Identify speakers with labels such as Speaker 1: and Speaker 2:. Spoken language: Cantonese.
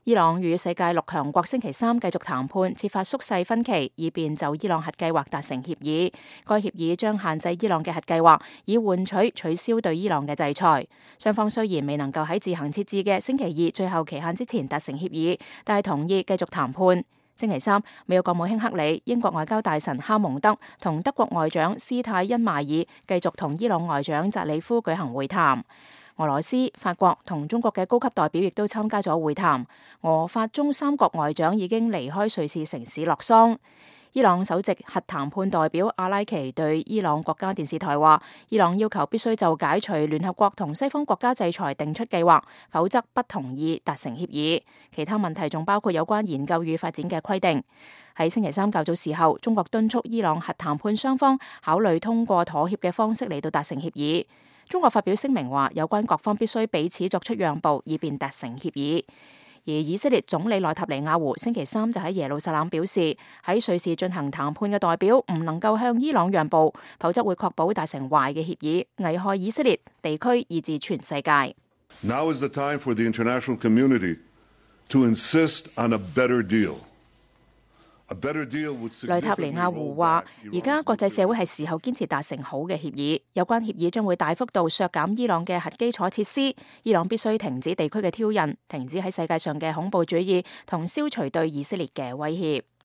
Speaker 1: 伊朗與世界6強國星期三繼續談判，設法縮細分歧，以便就伊朗核計劃達成協議。該協議將限制伊朗嘅核計劃，以換取取消對伊朗嘅制裁。雙方雖然未能夠喺自行設置嘅星期二最後期限之前達成協議，但係同意繼續談判。星期三，美國國務卿克里、英國外交大臣哈蒙德同德國外長施泰因邁爾繼續同伊朗外長扎里夫舉行會談。俄羅斯、法國同中國嘅高級代表亦都參加咗會談。俄法中三國外長已經離開瑞士城市洛桑。伊朗首席核談判代表阿拉奇對伊朗國家電視台話，伊朗要求必須就解除聯合國同西方國家制裁定出計劃，否則不同意達成協議。其他問題仲包括有關研究與發展嘅規定。喺星期三較早時候，中國敦促伊朗核談判雙方考慮通過妥協嘅方式嚟到達成協議。中國發表聲明話，有關各方必須彼此作出讓步，以便達成協議。而以色列總理內塔尼亞胡星期三就喺耶路撒冷表示，喺瑞士進行談判嘅代表唔能夠向伊朗讓步，否則會確保達成壞嘅協議，危害以色列、地區以至全世界。
Speaker 2: Now is the time for the international community to insist on a better deal.
Speaker 1: 內塔尼亞胡話：而家國際社會係時候堅持達成好嘅協議，有關協議將會大幅度削減伊朗嘅核基礎設施，伊朗必須停止地區嘅挑釁，停止喺世界上嘅恐怖主義，同消除對以色列嘅威脅。